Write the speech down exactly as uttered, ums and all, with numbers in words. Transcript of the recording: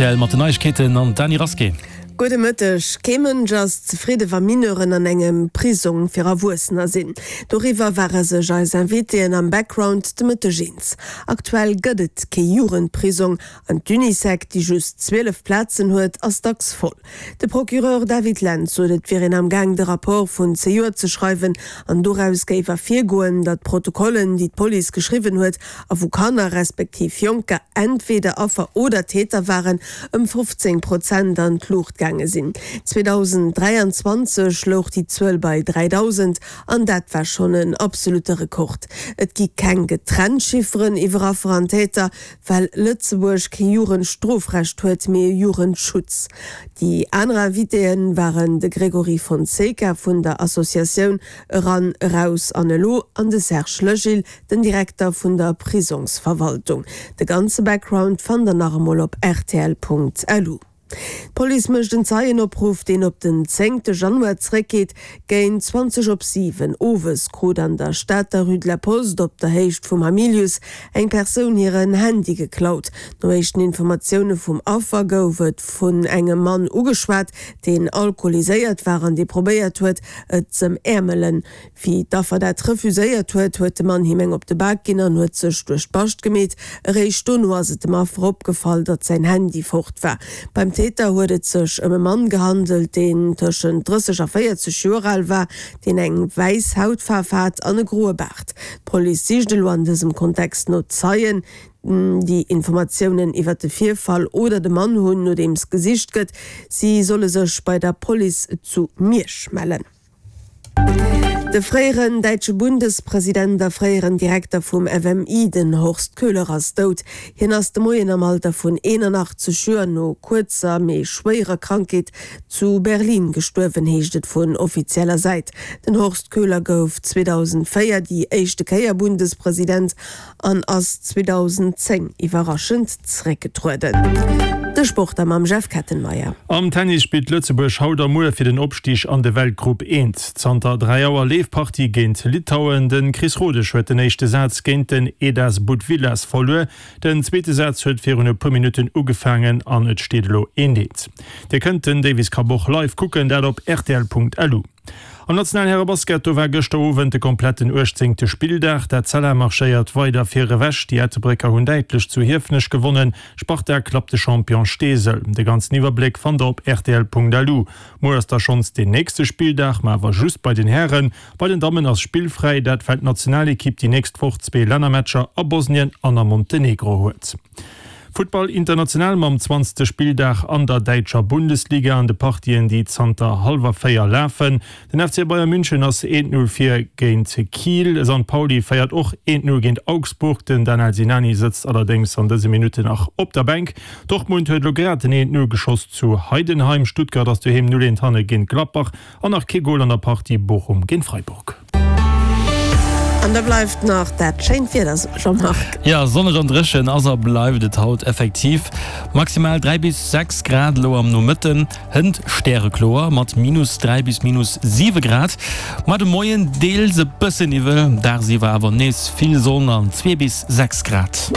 rtl mat den Neiegkeeten an d'Dany Rasqué. Gudde Mëtteg. Kee Mënsch ass zefridde wa Mineuren an engem Prisong fir Erwuessener sinn. Doriwwer ware sech eis Invitéen am Background de Mëtteg eens. Aktuell gëtt et kee Jugendprisong an d'Unisec, déi just zwielef Plazen huet, ass dacks voll. De Procureur David Lentz sot, et wier een am Gaang de Rapport vun zejoert ze schreiwen an doraus géif ervirgoen, datt d'Protokollen, déi d'Police geschriwwen huet a wou Kanner respektiv Jonker entweder Affer oder Täter waren, ëm fofzéng Prozent an d'Luucht gaange sinn. zweedausenddräianzwanzeg louch déi Zuel bei dräidausend an dat war schonn en absolutte Rekord. Et gi keng getrennt Chifferen iwwer Affer an Täter, well Lëtzebuerg kee Jugendstrofrecht huet, mee e Jugendschutz. Déi aner Invitéë waren de Gregory Fonseca vun der Associatioun Eran, Eraus an Elo an de Serge Legil, den Direkter vun der Prisongsverwaltung. De ganze Background fannt der nach emol op rtl.lu. D'Police mécht en Zeienopruff, deen op den zéngte Januar zeréckgeet. Géint zwanzeg op siwen owes krut an der Stater Rue de la Poste op der Héicht vum Hamilius eng Persoun hiren Handy geklaut. No éischten Informatioune vum Affer gouf et vun engem Mann ugeschwat, deen alkoholiséiert war an dee probéiert huet, et z'ëmäermelen. Wéi d'Affer dat refuséiert huet, huet de Mann him eng op de Bak ginn an huet sech duerch d'Bascht gemeet. Eréischt dono ass et dem Affer opgefall, datt säin Handy fort war. Beim Täter huet et sech ëm e Mann gehandelt, deen tëschent drësseg a véierzeg Joer al war, deen eng wäiss Hautfaarf hat an e groe Baart. D'Police sicht elo an dësem Kontext no Zeien, déi Informatiounen iwwer de Virfall oder de Mann hunn, nodeems gesicht gëtt. Si solle sech bei der Police zu Miersch mellen. De fréieren däitsche Bundespresident a fréieren Direkter vum F M I, den Horst Köhler ass dout. Hien ass de Moien am Alter vun eenanachtzeg Joer no kuerzer, mee schwéierer Krankheet zu Berlin gestuerwen, heescht et vun offizieller Säit. Den Horst Köhler gouf zweedausendvéier déi éischte Kéier Bundespresident an ass zweedausendzéng iwwerraschend zeréckgetrueden. De Sport da mam Jeff Kettenmeyer. Am Tennis spillt Lëtzebuerg haut a muer fir den Opstig an de Weltgrupp eent. Zanter dräi Auer leeft d'Partie géint Litauen. De Chris Rodesch huet den éischte Saz géint den Edas Butvilas verluer. Den zweete Saz huet virun e puer Minutten ugefaangen an et steet elo eent eent. Dir kënnt den Davis Cup och live kucken, dat op rtl Punkt L U. Am nationalen Härebasket, do war gëschter Owend de kompletten uechtzéngte Spilldag. D'Etzella marschéiert weider vir ewech. Déi Ettelbrécker hunn däitlech zu Hiefenech gewonnen. Sparta klappt de Champion Steesel. De ganzen Iwwerbléck fannt der op rtl Punkt L U. Muer ass da schonns deen nächste Spilldag, ma awer just bei den Hären. Bei den Dammen ass spillfräi, dat well d'Nationalekipp déi nächst Woch zwee Lännermatcher a Bosnien an a Montenegro huet. Futtball international mam zwanzegste Spilldag an der däitscher Bundesliga an de Partien, déi zanter hallwer véier lafen. Den F C Bayern München ass eent Null vir géint Kiel. Sankt Pauli féiert och eent Null géint Augsburg. Den Danel Sinani sëtzt allerdéngs an dëse Minutten nach op der Bänk. Dortmund huet elo grad den eent Null geschoss zu Heidenheim. Stuttgart ass doheem Null eent hanne géint Gladbach an nach kee Gol an der Partie Bochum géint Freiburg. An da bleift nach dat schéint Wieder, Jean-Marc. Jo, sonneg an dréchen ass a bleift et haut effektiv. Maximal dräi bis sechs Grad elo am Nomëtten, hënt stärekloer mat minus dräi bis minus siwe Grad. Ma de Moien deels e bësse Niwwel, dagsiwwer awer nees vill Sonn an zwee bis sechs Grad.